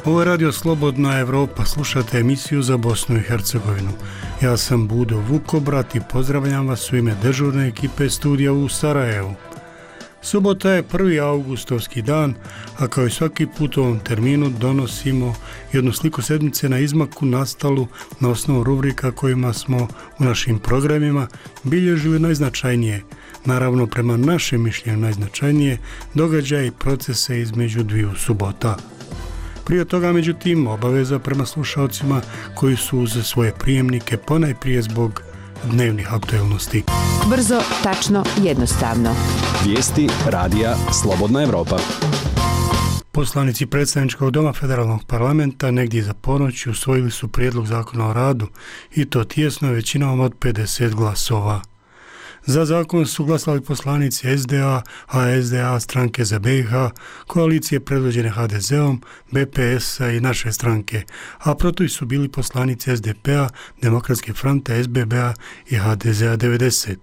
Ovo je Radio Slobodna Evropa, slušate emisiju za Bosnu i Hercegovinu. Ja sam Budo Vukobrat i pozdravljam vas u ime dežurne ekipe studija u Sarajevu. Subota je 1. augustovski dan, a kao i svaki put u ovom terminu donosimo jednu sliku sedmice na izmaku nastalu na osnovu rubrika kojima smo u našim programima bilježili najznačajnije, naravno prema našem mišljenju najznačajnije, događaje i procese između dviju subota. Prije toga, međutim, obaveza prema slušalcima koji su uz svoje prijemnike ponajprije zbog dnevnih aktualnosti. Brzo, tačno, jednostavno. Vijesti radija Slobodna Evropa. Poslanici predstavničkog doma federalnog parlamenta negdje za ponoć usvojili su prijedlog zakona o radu i to tijesno većinom od 50 glasova. Za zakon su glasali poslanici SDA, SDA stranke za BiH, koalicije predvođene HDZ-om, BPS-a i naše stranke, a protiv su bili poslanici SDP-a, Demokratske fronte, SBB-a i HDZ-a 90.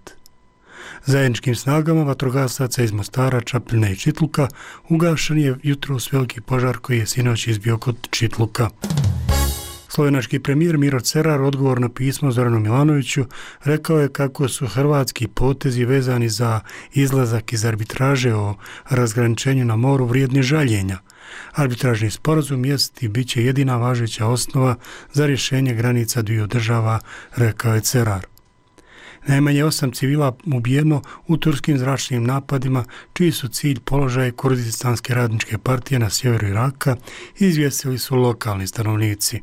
Zajedničkim snagama vatrogasaca iz Mostara, Čapljine i Čitluka ugašen je jutros veliki požar koji je sinoć izbio kod Čitluka. Slovenački premijer Miro Cerar odgovor na pismo Zoranu Milanoviću rekao je kako su hrvatski potezi vezani za izlazak iz arbitraže o razgraničenju na moru vrijedni žaljenja. Arbitražni sporazum jest i bit će jedina važeća osnova za rješenje granica dviju država, rekao je Cerar. Najmanje 8 civila ubijeno u turskim zračnim napadima, čiji su cilj položaj Kurdistanske radničke partije na sjeveru Iraka, izvijestili su lokalni stanovnici.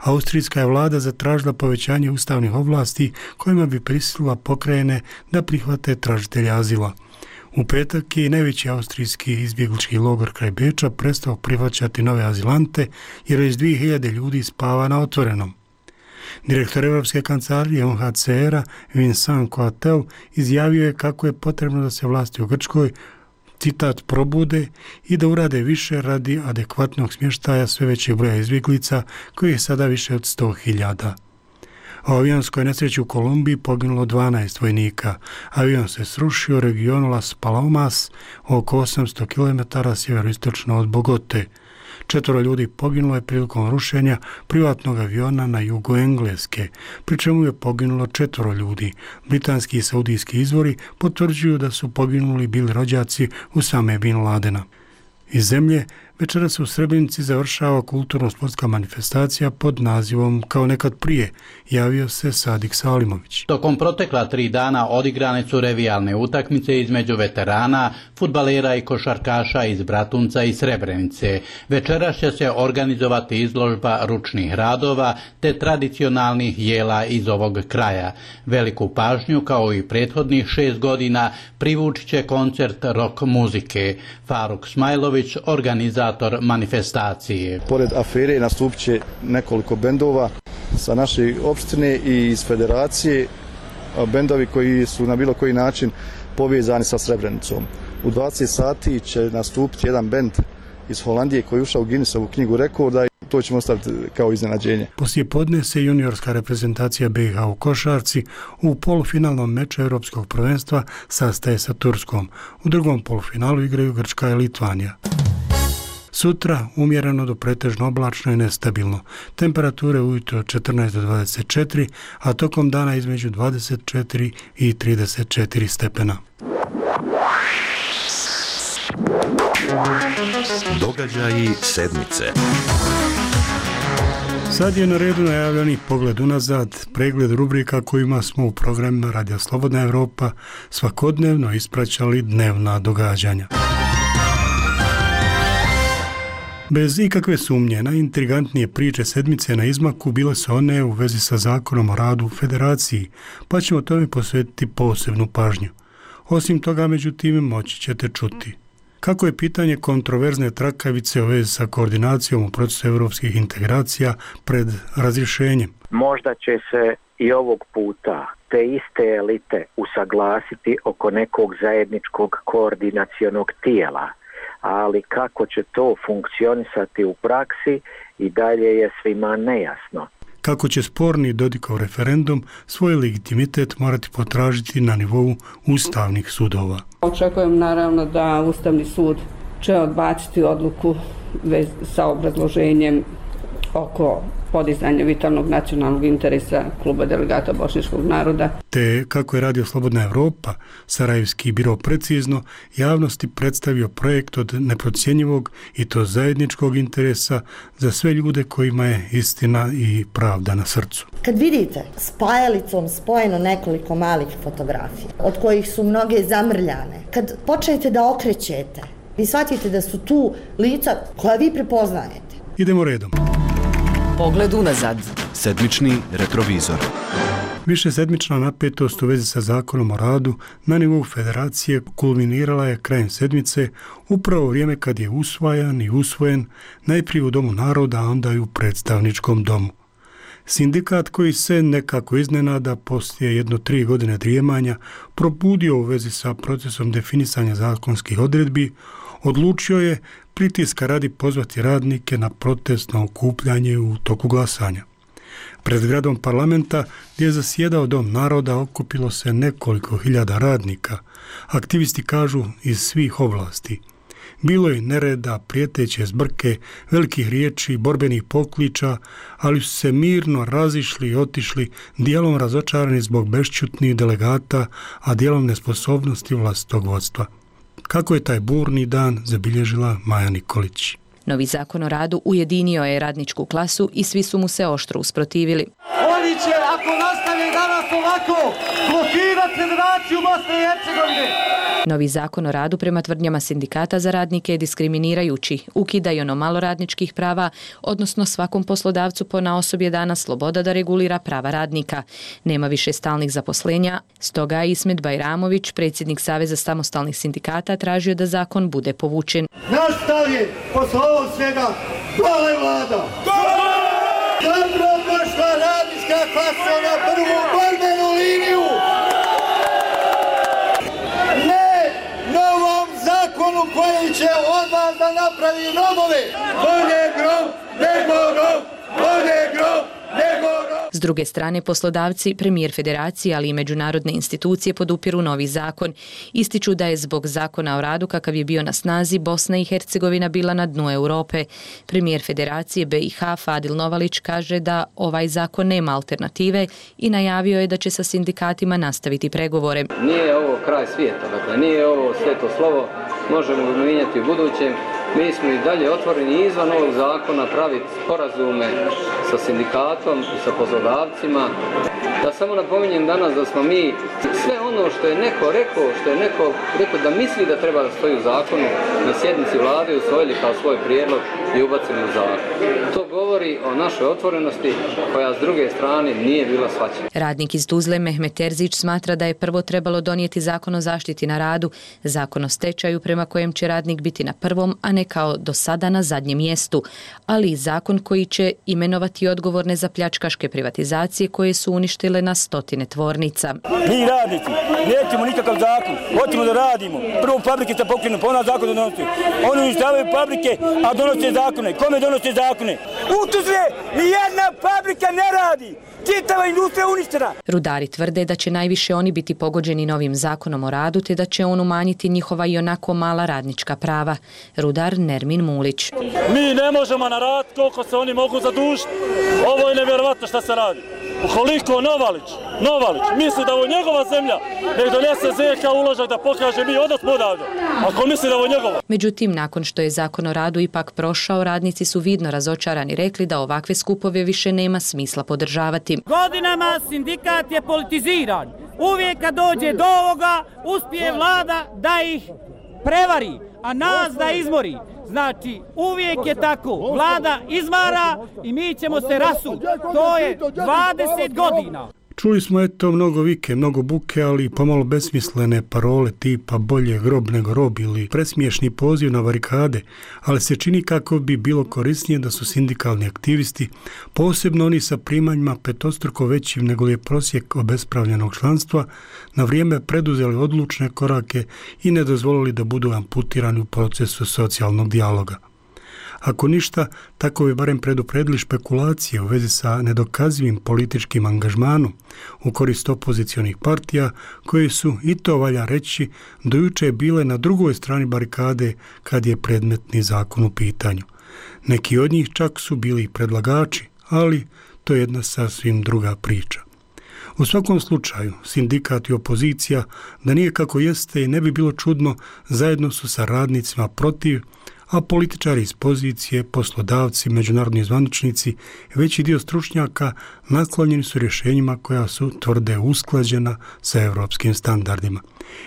Austrijska je vlada zatražila povećanje ustavnih ovlasti kojima bi prisilila pokrajine da prihvate tražitelja azila. U petak je najveći austrijski izbjeglički logor kraj Beča prestao prihvaćati nove azilante jer iz 2000 ljudi spava na otvorenom. Direktor Europske kancelarije UNHCR-a Vincent Coatel izjavio je kako je potrebno da se vlasti u Grčkoj, citat, probude i da urade više radi adekvatnog smještaja sve većeg broja izbjeglica koji je sada više od 100.000. U avionskoj nesreći u Kolumbiji poginulo 12 vojnika. Avion se srušio u regionu Las Palomas, oko 800 km sjeveroistočno od Bogote. 4 ljudi poginulo je prilikom rušenja privatnog aviona na jugu Engleske, pri čemu je poginulo 4 ljudi. Britanski i saudijski izvori potvrđuju da su poginuli bili rođaci Usame bin Ladena. Iz zemlje večeras u Srebrenici završava kulturno-sportska manifestacija pod nazivom Kao nekad prije, javio se Sadik Salimović. Tokom protekla 3 dana odigrane su revijalne utakmice između veterana, fudbalera i košarkaša iz Bratunca i Srebrenice. Večeras će se organizovati izložba ručnih radova te tradicionalnih jela iz ovog kraja. Veliku pažnju, kao i prethodnih 6 godina, privući će koncert rock muzike. Faruk Smajlović, organizator manifestacije. Pored afere nastupit će nekoliko bendova sa naše opštine i iz federacije, bendovi koji su na bilo koji način povezani sa Srebrenicom. U 20 sati će nastupiti jedan bend iz Holandije koji je ušao u Guinnessovu knjigu rekorda i to ćemo ostaviti kao iznenađenje. Poslije podne se juniorska reprezentacija BiH u košarci u polufinalnom meču Europskog prvenstva sastaje sa Turskom. U drugom polufinalu igraju Grčka i Litvanija. Sutra umjereno do pretežno oblačno i nestabilno. Temperature ujutro od 14 do 24, a tokom dana između 24 i 34 stepena. Događaji sedmice. Sad je na redu najavljeni pogled unazad, pregled rubrika kojima smo u programima Radija Slobodna Evropa svakodnevno ispraćali dnevna događanja. Bez ikakve sumnje, najintrigantnije priče sedmice na izmaku bile su one u vezi sa zakonom o radu u federaciji, pa ćemo tome posvetiti posebnu pažnju. Osim toga, međutim, moći ćete čuti kako je pitanje kontroverzne trakavice u vezi sa koordinacijom u procesu evropskih integracija pred razrješenjem. Možda će se i ovog puta te iste elite usaglasiti oko nekog zajedničkog koordinacionog tijela, ali kako će to funkcionisati u praksi i dalje je svima nejasno. Kako će sporni Dodikov referendum svoj legitimitet morati potražiti na nivou ustavnih sudova. Očekujem naravno da Ustavni sud će odbaciti odluku sa obrazloženjem oko podizanja vitalnog nacionalnog interesa kluba delegata bošnjačkog naroda. Te, kako je radio Slobodna Evropa, Sarajevski biro precizno javnosti predstavio projekt od neprocjenjivog i to zajedničkog interesa za sve ljude kojima je istina i pravda na srcu. Kad vidite spajalicom spojeno nekoliko malih fotografija, od kojih su mnoge zamrljane, kad počnete da okrećete, vi shvatite da su tu lica koja vi prepoznajete. Idemo redom. Pogled unazad. Sedmični retrovizor. Višesedmična napetost u vezi sa zakonom o radu na nivou federacije kulminirala je krajem sedmice, upravo vrijeme kad je usvajan i usvojen najprije u Domu naroda, a onda i u predstavničkom domu. Sindikat koji se nekako iznenada poslije 3 godine drijemanja probudio u vezi sa procesom definisanja zakonskih odredbi, odlučio je pritiska radi pozvati radnike na protestno okupljanje u toku glasanja. Pred zgradom parlamenta, gdje je zasjedao Dom naroda, okupilo se nekoliko hiljada radnika. Aktivisti kažu iz svih oblasti. Bilo je nereda, prijeteće zbrke, velikih riječi, borbenih pokliča, ali su se mirno razišli i otišli, dijelom razočarani zbog bešćutnih delegata, a dijelom nesposobnosti vlastitog vodstva. Kako je taj burni dan zabilježila Maja Nikolić. Novi zakon o radu ujedinio je radničku klasu i svi su mu se oštro usprotivili. Oni će, ako nastavi danas ovako, blokirati Federaciju Bosne i Hercegovine. Novi zakon o radu prema tvrdnjama sindikata za radnike je diskriminirajući, ukida i ono malo radničkih prava, odnosno svakom poslodavcu ponaosob je dana sloboda da regulira prava radnika. Nema više stalnih zaposlenja, stoga je Ismet Bajramović, predsjednik Saveza samostalnih sindikata, tražio da zakon bude povučen. Nastavi posle ovog svega, dole vlada! Dobro došla radnička klasa na prvu borbenu liniju! Zakonu koji će od vas da napravi robove. Bolje grob, nego rob, bolje grob, nego rob. S druge strane, poslodavci, premijer federacije, ali i međunarodne institucije podupiru novi zakon. Ističu da je zbog zakona o radu kakav je bio na snazi Bosna i Hercegovina bila na dnu Europe. Premijer federacije BiH Fadil Novalić kaže da ovaj zakon nema alternative i najavio je da će sa sindikatima nastaviti pregovore. Nije ovo kraj svijeta, dakle nije ovo sveto slovo, možemo ga mijenjati u budućem. Mi smo i dalje otvoreni izvan ovog zakona praviti sporazume sa sindikatom i sa poslodavcima. Da samo napominjem danas da smo mi sve ono što je neko rekao da misli da treba da stoji u zakonu, na sjednici vlade usvojili kao svoj prijedlog i ubacili u zakon. To govori o našoj otvorenosti koja s druge strane nije bila shvaćena. Radnik iz Tuzle Mehmet Terzić smatra da je prvo trebalo donijeti zakon o zaštiti na radu, zakon o stečaju prema kojem će radnik biti na prvom, a ne kao do sada na zadnjem mjestu, ali i zakon koji će imenovati odgovorne za pljačkaške privatizacije koje su uništile na stotine tvornica. Mi radnici nećemo nikakav zakon, hoćemo da radimo. Prvo fabrike se pokrenu, pa ona zakon donosi. Oni uništavaju fabrike, a donose zakone. Kome donose zakone? U Tuzle nijedna fabrika ne radi. Čitava industrija uništena. Rudari tvrde da će najviše oni biti pogođeni novim zakonom o radu, te da će on umanjiti njihova i onako mala radnička prava. Rudar Nermin Mulić. Mi ne možemo na rad koliko se oni mogu zadužiti. Ovo je nevjerovatno šta se radi. Ukoliko Novalić misli da ovo je njegova zemlja, nek donese ZK uložak da pokaže mi odnos odavde. Ako misli da ovo je njegova. Međutim, nakon što je zakon o radu ipak prošao, radnici su vidno razočarani rekli da ovakve skupove više nema smisla podržavati. Godinama sindikat je politiziran. Uvijek kad dođe do ovoga, uspije vlada da ih prevari, a nas da izmori. Znači, uvijek je tako. Vlada izmara i mi ćemo se rasuti. To je 20 godina. Čuli smo mnogo vike, mnogo buke, ali pomalo besmislene parole tipa bolje grob nego rob ili presmiješni poziv na barikade, ali se čini kako bi bilo korisnije da su sindikalni aktivisti, posebno oni sa primanjima petostruko većim nego je prosjek obespravljenog članstva, na vrijeme preduzeli odlučne korake i ne dozvolili da budu amputirani u procesu socijalnog dijaloga. Ako ništa, tako bi barem predupredili špekulacije u vezi sa nedokazivim političkim angažmanom u korist opozicionih partija, koje su, i to valja reći, do juče bile na drugoj strani barikade kad je predmetni zakon u pitanju. Neki od njih čak su bili predlagači, ali to je jedna sasvim druga priča. U svakom slučaju, sindikat i opozicija, da nije kako jeste i ne bi bilo čudno, zajedno su sa radnicima protiv, a političari iz pozicije, poslodavci, međunarodni zvaničnici, veći dio stručnjaka naklonjeni su rješenjima koja su tvrde usklađena sa europskim standardima.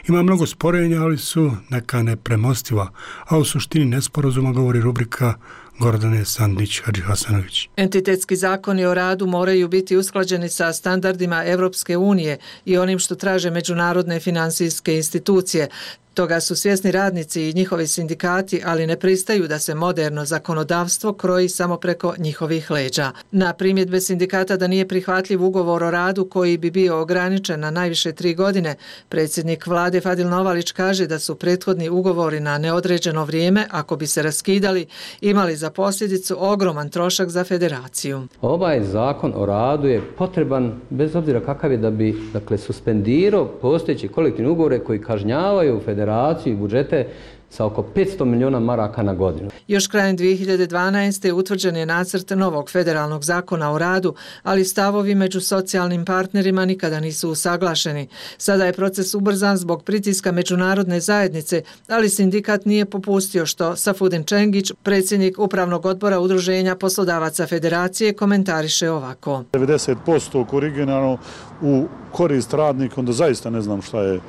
Ima mnogo sporenja, ali su neka nepremostiva, a u suštini nesporazuma govori rubrika Gordane Sandić-Hadžihasanović. Entitetski zakoni o radu moraju biti usklađeni sa standardima Europske unije i onim što traže međunarodne financijske institucije. Toga su svjesni radnici i njihovi sindikati, ali ne pristaju da se moderno zakonodavstvo kroji samo preko njihovih leđa. Na primjedbe sindikata da nije prihvatljiv ugovor o radu koji bi bio ograničen na najviše 3 godine, predsjednik vlade Fadil Novalić kaže da su prethodni ugovori na neodređeno vrijeme, ako bi se raskidali, imali za posljedicu ogroman trošak za federaciju. Ovaj zakon o radu je potreban, bez obzira kakav je, da bi suspendirao postojeći kolektivni ugovore koji kažnjavaju federaciju i budžete sa oko 500 milijuna maraka na godinu. Još krajem 2012. utvrđen je nacrt novog federalnog zakona o radu, ali stavovi među socijalnim partnerima nikada nisu usaglašeni. Sada je proces ubrzan zbog pritiska međunarodne zajednice, ali sindikat nije popustio, što Safudin Čengić, predsjednik upravnog odbora Udruženja poslodavaca federacije, komentariše ovako. 90% koriginalno u korist radnika, onda zaista ne znam šta je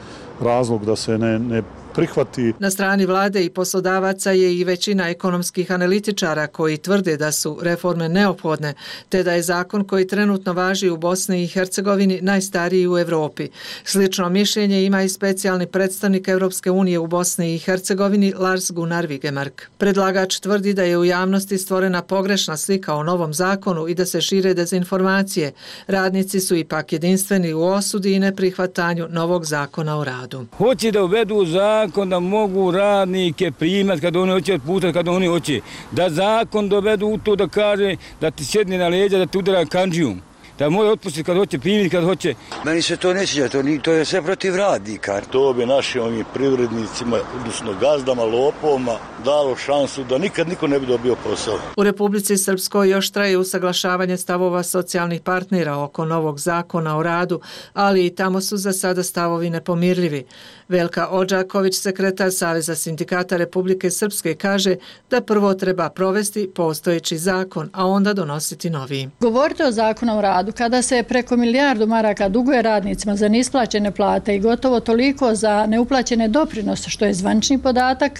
razlog da se ne prihvati. Na strani vlade i poslodavaca je i većina ekonomskih analitičara koji tvrde da su reforme neophodne, te da je zakon koji trenutno važi u Bosni i Hercegovini najstariji u Europi. Slično mišljenje ima i specijalni predstavnik Europske unije u Bosni i Hercegovini Lars Gunnar Vigemark. Predlagač tvrdi da je u javnosti stvorena pogrešna slika o novom zakonu i da se šire dezinformacije. Radnici su ipak jedinstveni u osudi i neprihvatanju novog zakona o radu. Hoće da uvedu zakon da mogu radnike primati kad oni hoće, otputati kad oni hoće. Da zakon dovedu u to da kaže da ti sjedne na leđa, da ti udara kandžijum. Da može otpustiti kad hoće, primiti kad hoće. Meni se to ne sviđa, to je sve protiv radnika. To bi našim privrednicima, odnosno gazdama, lopovima, dalo šansu da nikad niko ne bi dobio posao. U Republici Srpskoj još traje usaglašavanje stavova socijalnih partnera oko novog zakona o radu, ali i tamo su za sada stavovi nepomirljivi. Velka Odžaković, sekretar Saveza sindikata Republike Srpske, kaže da prvo treba provesti postojeći zakon, a onda donositi novi. Govorite o zakonu o radu kada se preko 1 milijardu maraka duguje radnicima za neisplaćene plate i gotovo toliko za neuplaćene doprinose, što je zvanični podatak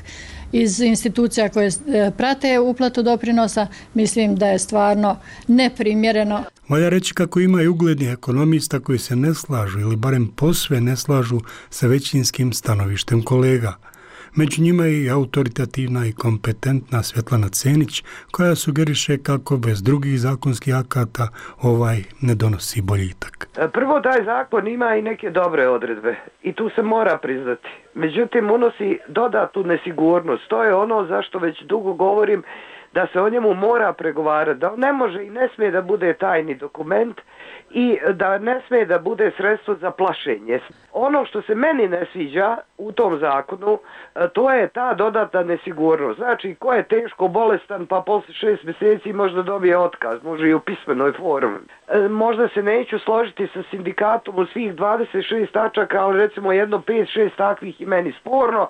iz institucija koje prate uplatu doprinosa, mislim da je stvarno neprimjereno. Valja reći kako ima i uglednih ekonomista koji se ne slažu ili barem posve ne slažu sa većinskim stanovištem kolega. Među njima je i autoritativna i kompetentna Svetlana Cenić, koja sugeriše kako bez drugih zakonskih akata ovaj ne donosi boljitak. Prvo, taj zakon ima i neke dobre odredbe i tu se mora priznati. Međutim, unosi dodatnu nesigurnost. To je ono zašto već dugo govorim, da se o njemu mora pregovarati, da on ne može i ne smije da bude tajni dokument i da ne smije da bude sredstvo za plašenje. Ono što se meni ne sviđa u tom zakonu, to je ta dodatna nesigurnost. Znači, ko je teško bolestan pa poslije 6 mjeseci možda dobije otkaz, može i u pismenoj formi. Možda se neću složiti sa sindikatom u svih 26 tačaka, ali recimo jedno 5-6 takvih i meni sporno.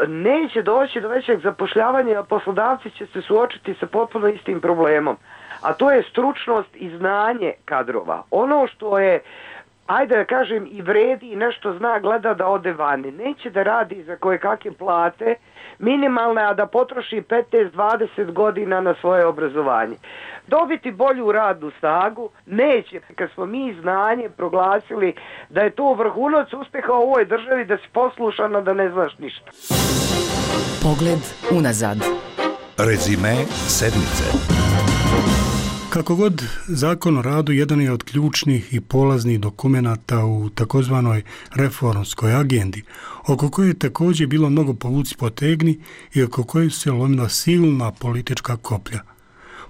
Neće doći do većeg zapošljavanja, a poslodavci će se suočiti sa potpuno istim problemom. A to je stručnost i znanje kadrova. Ono što je, ajde da kažem, i vredi i nešto zna, gleda da ode vani. Neće da radi za koje kakve plate minimalne, a da potroši 15-20 godina na svoje obrazovanje. Dobiti bolju radnu snagu neće. Kad smo mi znanje proglasili da je to vrhunac uspjeha u ovoj državi, da si poslušan, a da ne znaš ništa. Pogled unazad. Rezime sedmice. Kako god, Zakon o radu jedan je od ključnih i polaznih dokumenata u takozvanoj reformskoj agendi, oko koje je također bilo mnogo povuci potegni i oko koje se lomila silna politička koplja.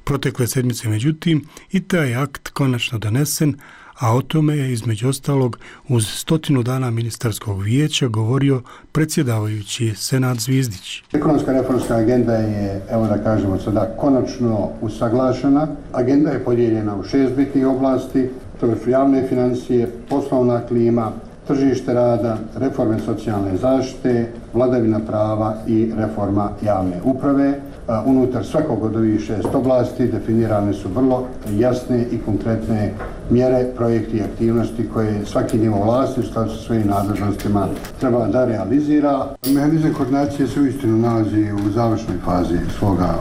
Protekle sedmice, međutim, i taj akt konačno donesen, a o tome je između ostalog uz 100 dana ministarskog vijeća govorio predsjedavajući Senad Zvizdić. Ekonomska reformska agenda je, evo da kažemo sada, konačno usaglašena. Agenda je podijeljena u 6 bitnih oblasti, to su javne financije, poslovna klima, tržište rada, reforme socijalne zaštite, vladavina prava i reforma javne uprave. Unutar svakog od ovih 6 oblasti definirane su vrlo jasne i konkretne mjere, projekti i aktivnosti koje svaki nivo vlasti u skladu sa svojim nadležnostima treba da realizira. Mehanizam koordinacije se uistinu nalazi u završnoj fazi svoga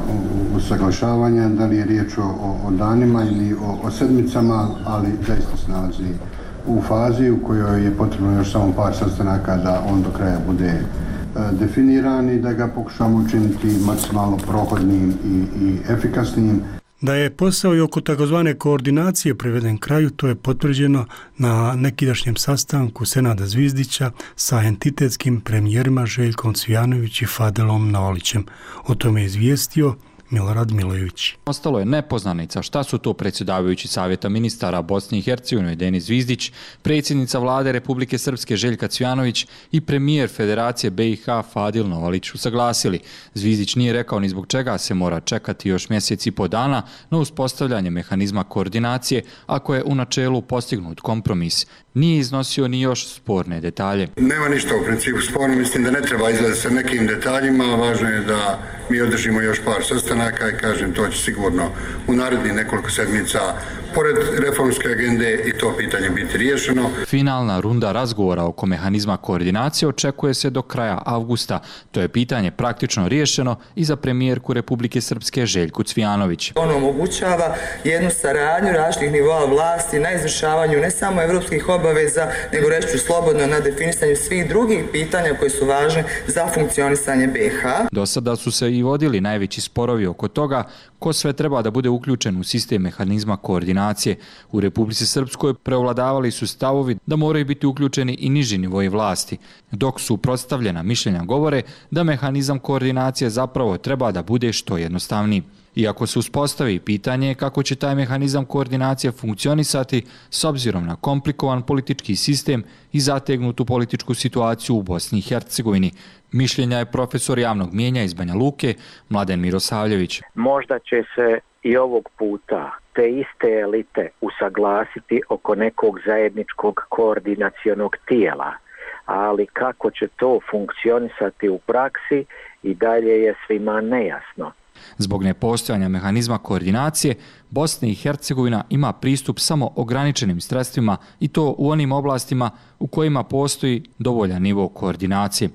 usaglašavanja, da li je riječ o danima ili o sedmicama, ali zaista se nalazi u fazi u kojoj je potrebno još samo par sastanaka da on do kraja bude definiran i da ga pokušamo učiniti maksimalno prohodnim i efikasnim. Da je posao i oko takozvane koordinacije priveden kraju, to je potvrđeno na nekidašnjem sastanku Senada Zvizdića sa entitetskim premijerima Željkom Cvijanović i Fadelom Navalićem. O tome je izvijestio Milorad Milojević. Ostalo je nepoznanica šta su to predsjedavajući Savjeta ministara Bosne i Hercegovine Denis Zvizdić, predsjednica vlade Republike Srpske Željka Cvijanović i premijer Federacije BiH Fadil Novalić usaglasili. Zvizdić nije rekao ni zbog čega se mora čekati još mjesec i po dana na uspostavljanje mehanizma koordinacije ako je u načelu postignut kompromis. Nije iznosio ni još sporne detalje. Nema ništa u principu sporno, mislim da ne treba izlaziti sa nekim detaljima, važno je da mi održimo još par sastanaka i kažem to će sigurno u narednih nekoliko sedmica pored reformske agende i to pitanje biti riješeno. Finalna runda razgovora oko mehanizma koordinacije očekuje se do kraja avgusta. To je pitanje praktično riješeno i za premijerku Republike Srpske Željku Cvijanović. On omogućava jednu saradnju različitih nivoa vlasti na izvršavanju ne samo evropskih obaveza, nego reći ću slobodno na definisanju svih drugih pitanja koje su važne za funkcionisanje BiH. Do sada su se i vodili najveći sporovi oko toga ko sve treba da bude uključen u sistem mehanizma koordinacije. U Republici Srpskoj prevladavali su stavovi da moraju biti uključeni i niži nivoji vlasti, dok su prostavljena mišljenja govore da mehanizam koordinacije zapravo treba da bude što jednostavniji. Iako se uspostavi pitanje kako će taj mehanizam koordinacije funkcionisati s obzirom na komplikovan politički sistem i zategnutu političku situaciju u Bosni i Hercegovini, mišljenja je profesor javnog mijenja iz Banja Luke Mladen Mirosavljević. Možda će se i ovog puta te iste elite usaglasiti oko nekog zajedničkog koordinacionog tijela, ali kako će to funkcionisati u praksi i dalje je svima nejasno. Zbog nepostojanja mehanizma koordinacije, Bosna i Hercegovina ima pristup samo ograničenim sredstvima i to u onim oblastima u kojima postoji dovoljan nivo koordinacije.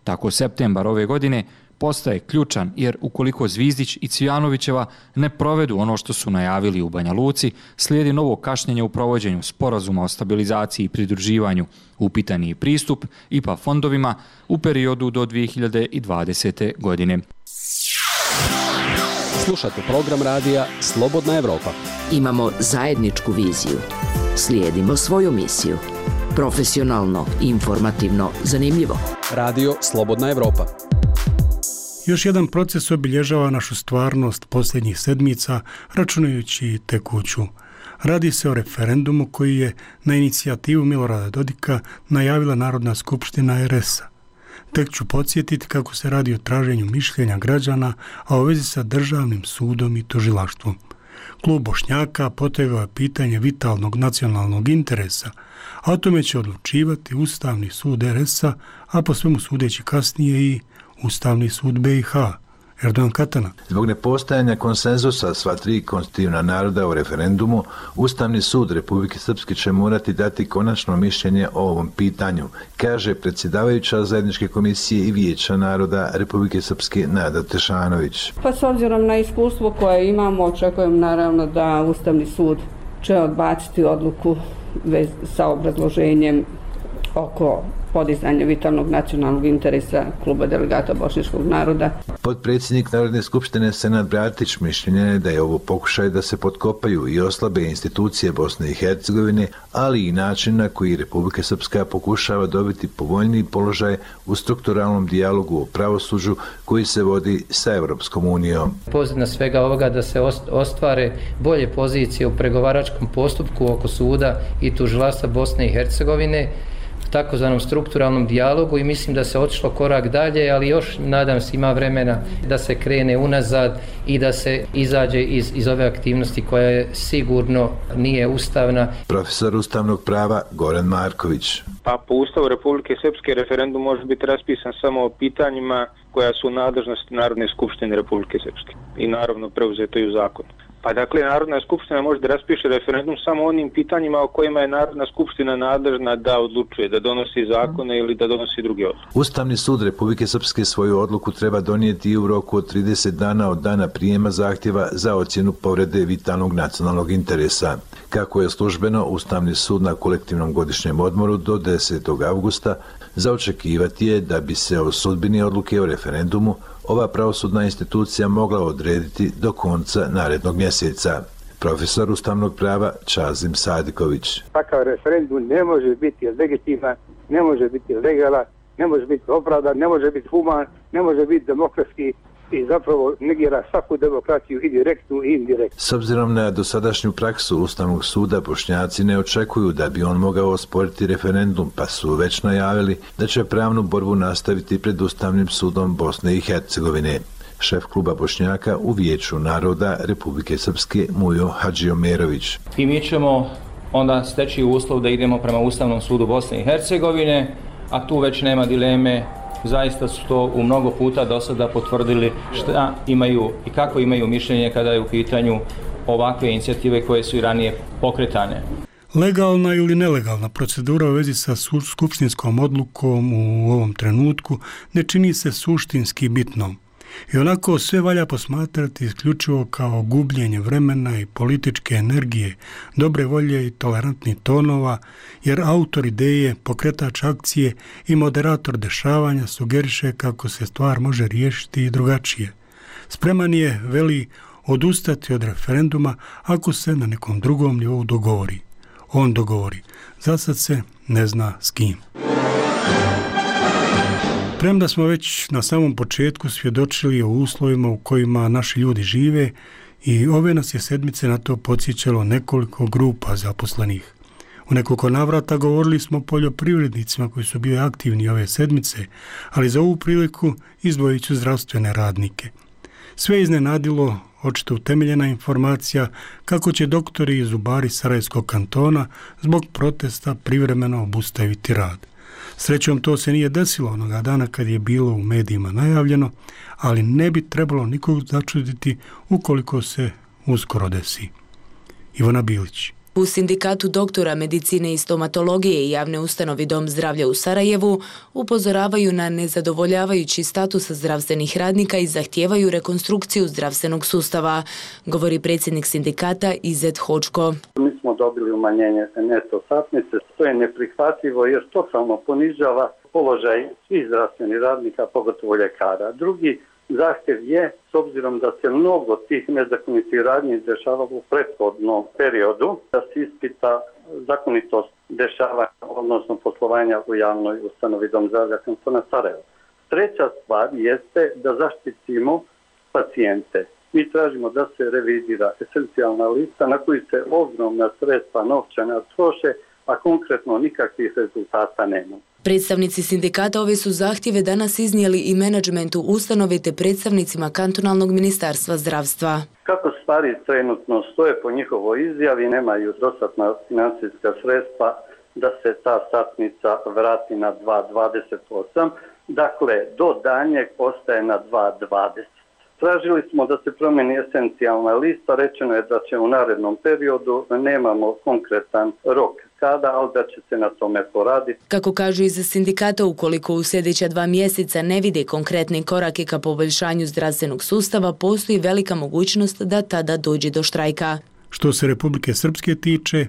Tako septembar ove godine postaje ključan jer ukoliko Zvizdić i Cvijanovićeva ne provedu ono što su najavili u Banja Luci, slijedi novo kašnjenje u provođenju sporazuma o stabilizaciji i pridruživanju, upitan je pristup IPA fondovima u periodu do 2020. godine. Slušate program radija Slobodna Evropa. Imamo zajedničku viziju. Slijedimo svoju misiju. Profesionalno, informativno, zanimljivo. Radio Slobodna Evropa. Još jedan proces obilježava našu stvarnost posljednjih sedmica, računajući i tekuću. Radi se o referendumu koji je na inicijativu Milorada Dodika najavila Narodna skupština RS-a. Tek ću podsjetiti kako se radi o traženju mišljenja građana, a u vezi sa državnim sudom i tužilaštvom. Klub Bošnjaka potegao je pitanje vitalnog nacionalnog interesa, a o tome će odlučivati Ustavni sud RS-a, a po svemu sudeći kasnije i Ustavni sud BiH. Erdogan Katana. Zbog nepostajanja konsenzusa sva tri konstitutivna naroda u referendumu, Ustavni sud Republike Srpske će morati dati konačno mišljenje o ovom pitanju, kaže predsjedavajuća zajedničke komisije i vijeća naroda Republike Srpske Nada Tešanović. Pa s obzirom na iskustvo koje imamo, očekujem naravno da Ustavni sud će odbaciti odluku sa obrazloženjem oko podizanja vitalnog nacionalnog interesa Kluba delegata bošnjačkog naroda. Potpredsjednik Narodne skupštine Senad Bratić mišljenja je da je ovo pokušaj da se potkopaju i oslabe institucije Bosne i Hercegovine, ali i način na koji Republika Srpska pokušava dobiti povoljniji položaj u strukturalnom dijalogu o pravosuđu koji se vodi sa Evropskom unijom. Pozadina svega ovoga da se ostvare bolje pozicije u pregovaračkom postupku oko suda i tužilaštva Bosne i Hercegovine, takozvanom strukturalnom dijalogu, i mislim da se otišlo korak dalje, ali još nadam se ima vremena da se krene unazad i da se izađe iz ove aktivnosti koja je sigurno nije ustavna. Profesor ustavnog prava Goran Marković. Pa po Ustavu Republike Srpske referendum može biti raspisan samo o pitanjima koja su u nadležnosti Narodne skupštine Republike Srpske i naravno preuzeto i u zakonu. Pa dakle, Narodna skupština može da raspiše referendum samo onim pitanjima o kojima je Narodna skupština nadležna da odlučuje, da donosi zakone ili da donosi druge odluke. Ustavni sud Republike Srpske svoju odluku treba donijeti u roku od 30 dana od dana prijema zahtjeva za ocjenu povrede vitalnog nacionalnog interesa. Kako je službeno, Ustavni sud na kolektivnom godišnjem odmoru do 10. avgusta za očekivati je da bi se o sudbini odluke o referendumu ova pravosudna institucija mogla odrediti do konca narednog mjeseca. Profesor ustavnog prava Čazim Sadiković. Takav referendum ne može biti legitiman, ne može biti legalan, ne može biti opravdan, ne može biti human, ne može biti demokratski i zapravo negira svaku demokraciju i direktnu i indirektnu. S obzirom na dosadašnju praksu Ustavnog suda, Bošnjaci ne očekuju da bi on mogao osporiti referendum, pa su već najavili da će pravnu borbu nastaviti pred Ustavnim sudom Bosne i Hercegovine. Šef kluba Bošnjaka u Vijeću naroda Republike Srpske Mujo Hadžiomerović. I mi ćemo onda steći uslov da idemo prema Ustavnom sudu Bosne i Hercegovine, a tu već nema dileme. Zaista su to u mnogo puta do sada potvrdili šta imaju i kako imaju mišljenje kada je u pitanju ovakve inicijative koje su i ranije pokretane. Legalna ili nelegalna procedura u vezi sa skupštinskom odlukom u ovom trenutku ne čini se suštinski bitnom. I onako sve valja posmatrati isključivo kao gubljenje vremena i političke energije, dobre volje i tolerantnih tonova, jer autor ideje, pokretač akcije i moderator dešavanja sugeriše kako se stvar može riješiti i drugačije. Spreman je, veli, odustati od referenduma ako se na nekom drugom nivou dogovori. On dogovori. Zasad se ne zna s kim. Premda smo već na samom početku svjedočili o uslovima u kojima naši ljudi žive i ove nas je sedmice na to podsjećalo nekoliko grupa zaposlenih. U nekoliko navrata govorili smo o poljoprivrednicima koji su bili aktivni ove sedmice, ali za ovu priliku izdvojit ću zdravstvene radnike. Sve iznenadilo očito utemeljena informacija kako će doktori i zubari Sarajevskog kantona zbog protesta privremeno obustaviti rad. Srećom to se nije desilo onoga dana kad je bilo u medijima najavljeno, ali ne bi trebalo nikog začuditi ukoliko se uskoro desi. Ivana Bilić. U Sindikatu doktora medicine i stomatologije i javne ustanovi Dom zdravlja u Sarajevu upozoravaju na nezadovoljavajući status zdravstvenih radnika i zahtijevaju rekonstrukciju zdravstvenog sustava, govori predsjednik sindikata Izet Hočko. Mi smo dobili umanjenje neto satnice, to je neprihvatljivo jer totalno ponižava položaj svih zdravstvenih radnika, pogotovo ljekara. Drugi zahtjev je, s obzirom da se mnogo tih nezakonitih radnji dešavalo u prethodnom periodu, da se ispita zakonitost dešavanja, odnosno poslovanja u javnoj ustanovi Dom zdravlja kantona Sarajevo. Treća stvar jeste da zaštitimo pacijente. Mi tražimo da se revidira esencijalna lista na koju se ogromna sredstva novčana troše, a konkretno nikakvih rezultata nema. Predstavnici sindikata ove su zahtjeve danas iznijeli i menadžmentu ustanove te predstavnicima kantonalnog ministarstva zdravstva. Kako stvari trenutno stoje po njihovoj izjavi, nemaju dostatna financijska sredstva da se ta satnica vrati na 2,28, dakle do danjeg ostaje na 2,20. Tražili smo da se promijeni esencijalna lista, rečeno je da će u narednom periodu, nemamo konkretan rok kada, ali da će se na tome poraditi. Kako kažu iz sindikata, ukoliko u sljedeća 2 mjeseca ne vide konkretne korake ka poboljšanju zdravstvenog sustava, postoji velika mogućnost da tada dođe do štrajka. Što se Republike Srpske tiče,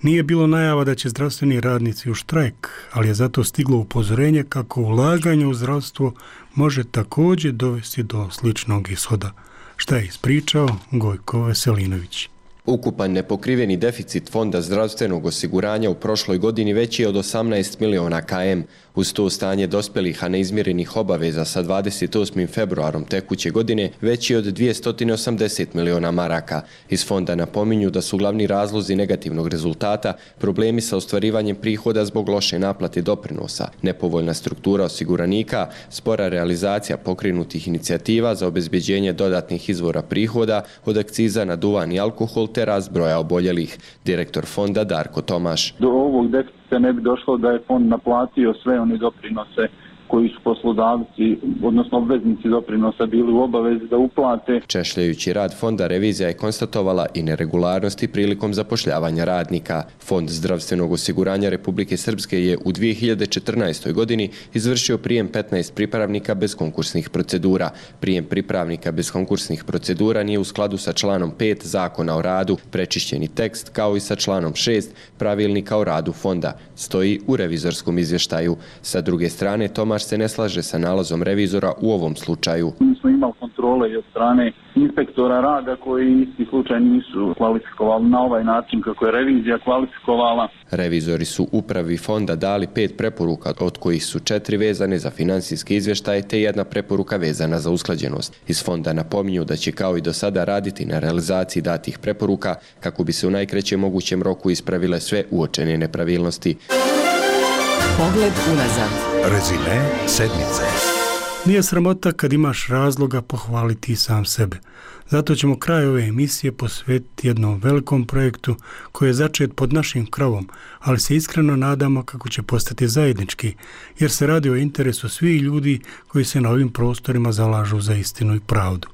Nije bilo najava da će zdravstveni radnici u štrajk, ali je zato stiglo upozorenje kako ulaganje u zdravstvo može također dovesti do sličnog ishoda. Šta je ispričao Gojko Veselinović. Ukupan nepokriveni deficit Fonda zdravstvenog osiguranja u prošloj godini veći je od 18 miliona km. Uz to stanje dospjelih, a neizmirenih obaveza sa 28. februarom tekuće godine veći je od 280 miliona maraka. Iz fonda napominju da su glavni razlozi negativnog rezultata problemi sa ostvarivanjem prihoda zbog loše naplate doprinosa, nepovoljna struktura osiguranika, spora realizacija pokrenutih inicijativa za obezbeđenje dodatnih izvora prihoda od akciza na duvan i alkohol te rast broja oboljelih. Direktor fonda Darko Tomaš. Do ovog deficita ne bi došlo da je fond naplatio sve one doprinose koji su poslodavci, odnosno obveznici doprinosa bili u obavezi da uplate. Češljajući rad fonda, revizija je konstatovala i neregularnosti prilikom zapošljavanja radnika. Fond zdravstvenog osiguranja Republike Srpske je u 2014. godini izvršio prijem 15 pripravnika bez konkursnih procedura. Prijem pripravnika bez konkursnih procedura nije u skladu sa članom 5 Zakona o radu, prečišćeni tekst kao i sa članom 6 Pravilnika o radu fonda, stoji u revizorskom izvještaju. Sa druge strane, Tomaš se ne slaže sa nalazom revizora u ovom slučaju. Mi smo imali kontrole i od strane inspektora rada koji isti slučaj nisu kvalifikovali na ovaj način kako je revizija kvalifikovala. Revizori su upravi fonda dali 5 preporuka, od kojih su 4 vezane za financijske izvještaje te 1 preporuka vezana za usklađenost. Iz fonda napominju da će kao i do sada raditi na realizaciji datih preporuka kako bi se u najkraćem mogućem roku ispravile sve uočene nepravilnosti. Pogled unazad. Rezime sedmice. Nije sramota kad imaš razloga pohvaliti sam sebe. Zato ćemo kraj ove emisije posvetiti jednom velikom projektu koji je začet pod našim krovom, ali se iskreno nadamo kako će postati zajednički, jer se radi o interesu svih ljudi koji se na ovim prostorima zalažu za istinu i pravdu.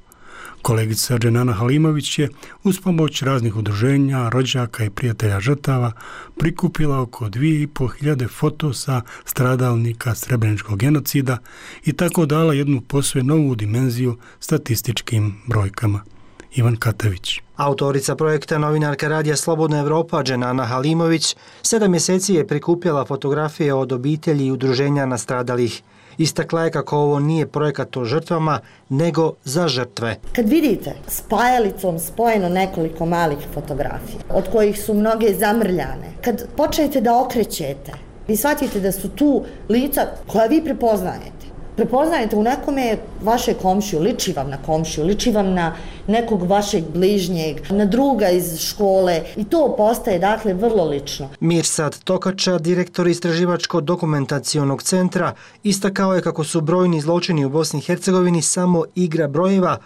Kolegica Dženana Halimović je uz pomoć raznih udruženja, rođaka i prijatelja žrtava prikupila oko 2500 fotosa stradalnika srebreničkog genocida i tako dala jednu posve novu dimenziju statističkim brojkama. Ivan Katavić. Autorica projekta, novinarka radija Slobodna Evropa Dženana Halimović 7 mjeseci je prikupljala fotografije od obitelji i udruženja nastradalih. Istakla je kako ovo nije projekat o žrtvama, nego za žrtve. Kad vidite s pajalicom spojeno nekoliko malih fotografija, od kojih su mnoge zamrljane, kad počnete da okrećete, vi shvatite da su tu lica koja vi prepoznajete. Prepoznajete u nekome vaše komšiju, liči vam na komšiju, liči vam na nekog vašeg bližnjeg, na druga iz škole i to postaje dakle vrlo lično. Mirsad Tokača, direktor Istraživačko-dokumentacionog centra, istakao je kako su brojni zločini u Bosni i Hercegovini samo igra brojeva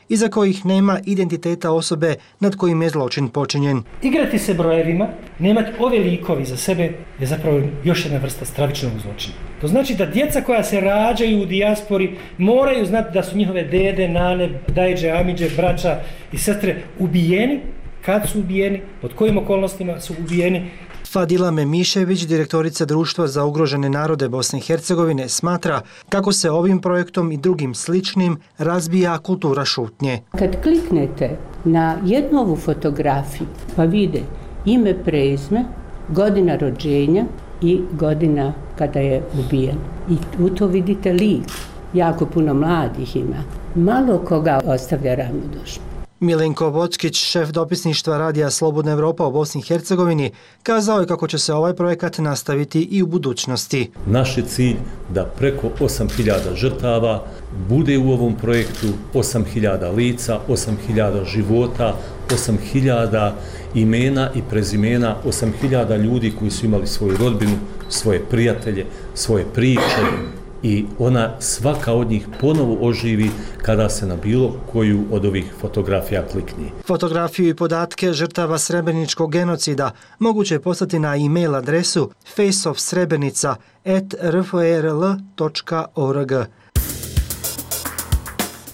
iza kojih nema identiteta osobe nad kojim je zločin počinjen. Igrati se brojevima, nemati ove likovi za sebe je zapravo još jedna vrsta stravičnog zločina. To znači da djeca koja se rađaju u dijaspori moraju znati da su njihove dede, nane, dajđe, amidže, braća i sestre ubijeni, kad su ubijeni, pod kojim okolnostima su ubijeni. Fadila Memišević, direktorica Društva za ugrožene narode Bosne i Hercegovine, smatra kako se ovim projektom i drugim sličnim razbija kultura šutnje. Kad kliknete na jednu ovu fotografiju pa vide ime, prezime, godina rođenja i godina kada je ubijen. I u to vidite lik. Jako puno mladih ima. Malo koga ostavlja ravnodušno. Milenko Bockić, šef dopisništva radija Slobodna Evropa u Bosni i Hercegovini, kazao je kako će se ovaj projekat nastaviti i u budućnosti. Naš je cilj da preko 8000 žrtava bude u ovom projektu, 8000 lica, 8000 života, 8000 imena i prezimena, 8000 ljudi koji su imali svoju rodbinu, svoje prijatelje, svoje priče i ona svaka od njih ponovo oživi kada se na bilo koju od ovih fotografija klikne. Fotografiju i podatke žrtava srebreničkog genocida moguće je poslati na e-mail adresu faceofsrebrenica@rfrl.org.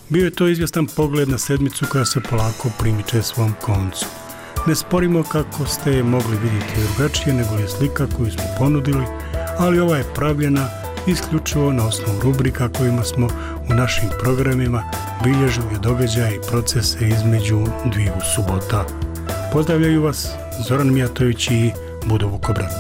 Bio je to izvjestan pogled na sedmicu koja se polako primiče svom koncu. Ne sporimo kako ste je mogli vidjeti drugačije nego je slika koju smo ponudili, ali ova je pravljena isključivo na osnovu rubrika kojima smo u našim programima bilježili događaje i procese između dviju subota. Pozdravljaju vas Zoran Mijatović i Budo Vukobrat.